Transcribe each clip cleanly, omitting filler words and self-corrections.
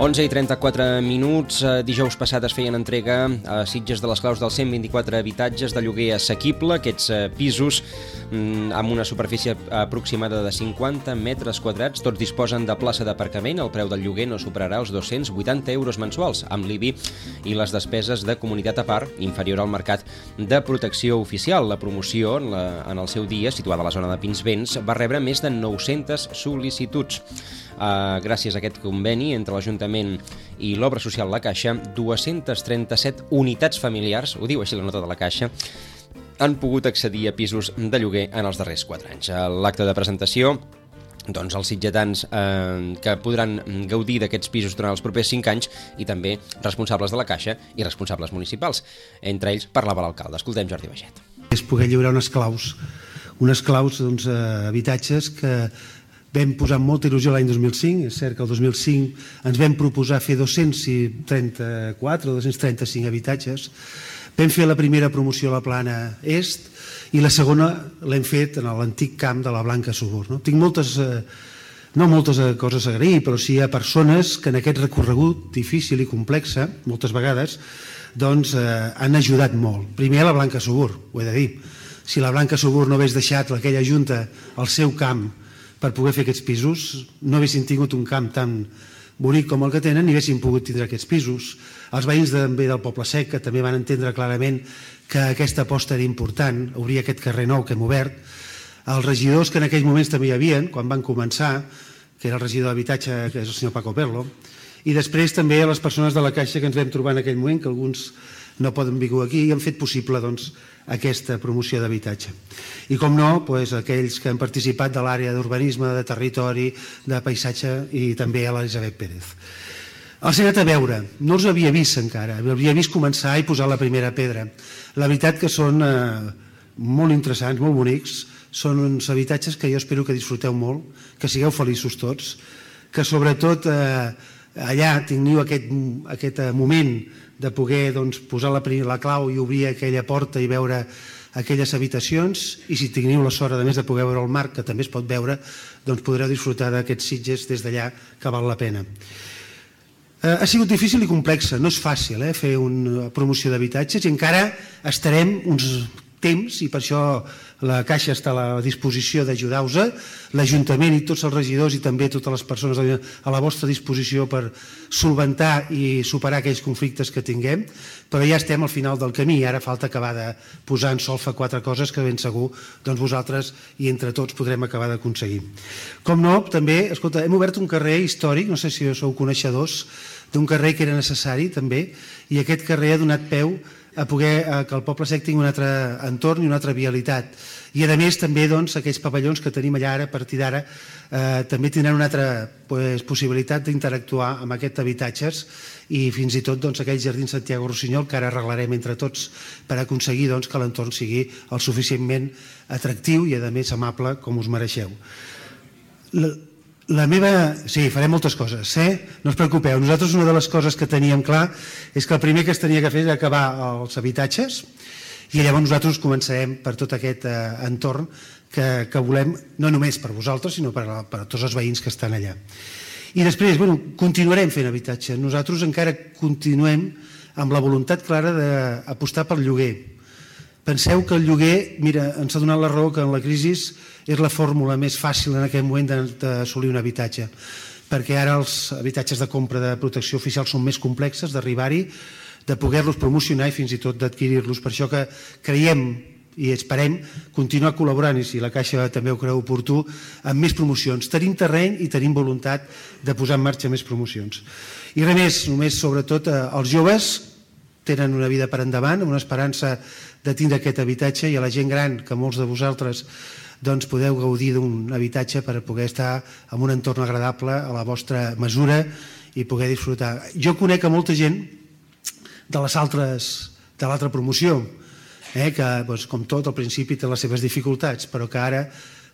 11:34. Dijous passat es feien entrega a Sitges de les claus dels 124 habitatges de lloguer assequible. Aquests pisos amb una superfície aproximada de 50 metres quadrats, tots disposen de plaça d'aparcament. El preu del lloguer no superarà els 280 euros mensuals, amb l'IBI i les despeses de comunitat a part, inferior al mercat de protecció oficial. La promoció, en el seu dia, situada a la zona de Pinsbens, va rebre més de 900 sol·licituds. Gràcies a aquest conveni entre l'Ajuntament i l'Obra Social La Caixa, 237 unitats familiars, ho diu així la nota de la Caixa, han pogut accedir a pisos de lloguer en els darrers 4 anys. A l'acte de presentació, doncs els sitgetans que podran gaudir d'aquests pisos durant els propers 5 anys i també responsables de la Caixa i responsables municipals. Entre ells parlava l'alcalde. Escoltem Jordi Baget. És poder lliurar unes claus doncs, habitatges que vam posar molta il·lusió l'any 2005. És cert que el 2005 ens vam proposar fer 234 o 235 habitatges. Vam fer la primera promoció a la plana est i la segona l'hem fet en l'antic camp de la Blanca Subur. Tinc no moltes coses a agrair, però sí a persones que en aquest recorregut difícil i complex, moltes vegades, doncs han ajudat molt. Primer a la Blanca Subur, ho he de dir. Si la Blanca Subur no hagués deixat aquella junta al seu camp per poder fer aquests pisos, no haguessin tingut un camp tan bonic com el que tenen ni haguessin pogut tindre aquests pisos. Els veïns també del Poble Sec, que també van entendre clarament que aquesta aposta era important, obrir aquest carrer nou que hem obert. Els regidors que en aquells moments també hi havia, quan van començar, que era el regidor d'Habitatge, que és el senyor Paco Perlo, i després també a les persones de la Caixa que ens vam trobar en aquell moment, que alguns no poden viure aquí, i han fet possible aquesta promoció d'habitatge. I com no, aquells que han participat de l'àrea d'urbanisme, de territori, de paisatge i també a l'Elisabet Pérez. Els he anat a veure, no els havia vist encara, havia vist començar i posar la primera pedra. La veritat que són molt interessants, molt bonics, són uns habitatges que jo espero que disfruteu molt, que sigueu feliços tots, que sobretot allà teniu aquest moment de poder posar la clau i obrir aquella porta i veure aquelles habitacions, i si teniu la sort, a més de poder veure el mar, que també es pot veure, doncs podreu disfrutar d'aquests Sitges des d'allà, que val la pena. Ha sigut difícil i complexa, no és fàcil fer una promoció d'habitatges i encara estarem uns temps, i per això la Caixa està a la disposició d'ajudar-vos, l'Ajuntament i tots els regidors i també totes les persones a la vostra disposició per solventar i superar aquells conflictes que tinguem, però ja estem al final del camí i ara falta acabar de posar en solfa 4 coses que ben segur vosaltres i entre tots podrem acabar d'aconseguir. Com no, també, escolta, hem obert un carrer històric, no sé si sou coneixedors, d'un carrer que era necessari també, i aquest carrer ha donat peu a poder que el Poble Sec tingui un altre entorn i una altra vialitat. I a més també aquells pavellons que tenim allà ara, a partir d'ara, també tindran una altra possibilitat d'interactuar amb aquests habitatges i fins i tot aquell jardí Santiago Rossinyol que ara arreglarem entre tots per aconseguir que l'entorn sigui el suficientment atractiu i a més amable com us mereixeu. Sí, farem moltes coses, no us preocupeu. Nosaltres una de les coses que teníem clar és que el primer que es tenia que fer era acabar els habitatges i llavors nosaltres començarem per tot aquest entorn que volem, no només per vosaltres, sinó per tots els veïns que estan allà. I després, continuarem fent habitatge. Nosaltres encara continuem amb la voluntat clara d'apostar pel lloguer. Penseu que el lloguer, mira, ens ha donat la raó que en la crisi és la fórmula més fàcil en aquest moment d'assolir un habitatge, perquè ara els habitatges de compra de protecció oficial són més complexes d'arribar-hi, de poder-los promocionar i fins i tot d'adquirir-los. Per això que creiem i esperem continuar col·laborant, i si la Caixa també ho creu oportú, amb més promocions. Tenim terreny i tenim voluntat de posar en marxa més promocions. I res més, només sobretot els joves tenen una vida per endavant, amb una esperança de tindre aquest habitatge, i a la gent gran, que molts de vosaltres podeu gaudir d'un habitatge per poder estar en un entorn agradable a la vostra mesura i poder disfrutar. Jo conec a molta gent de l'altra promoció, que com tot al principi té les seves dificultats, però que ara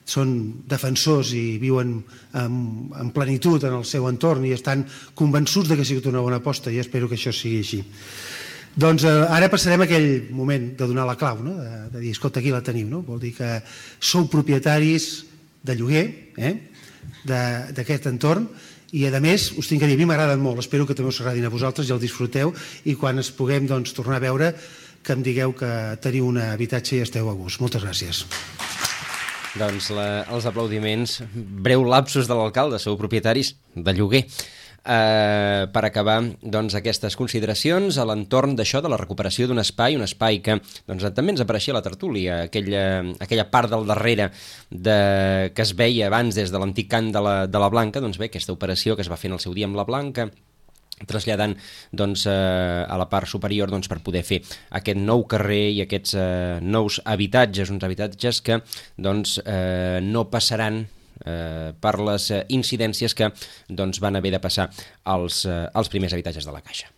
són defensors i viuen en plenitud en el seu entorn i estan convençuts que ha sigut una bona aposta, i espero que això sigui així. Doncs ara passarem a aquell moment de donar la clau, de dir, escolta, aquí la teniu, vol dir que sou propietaris de lloguer d'aquest entorn I a més, us tinc a dir, a mi m'agraden molt, espero que també us agradin a vosaltres i el disfruteu, i quan es puguem tornar a veure, que em digueu que teniu un habitatge i esteu a gust. Moltes gràcies. Doncs els aplaudiments, breu lapsus de l'alcalde, sou propietaris de lloguer. Per acabar aquestes consideracions a l'entorn d'això, de la recuperació d'un espai, un espai que també ens apareixia a la tertúlia, aquella part del darrere que es veia abans des de l'antic cant de la Blanca, doncs bé, aquesta operació que es va fer en el seu dia amb la Blanca, traslladant a la part superior per poder fer aquest nou carrer i aquests nous habitatges, uns habitatges que no passaran per les incidències que van haver de passar els primers habitatges de la Caixa.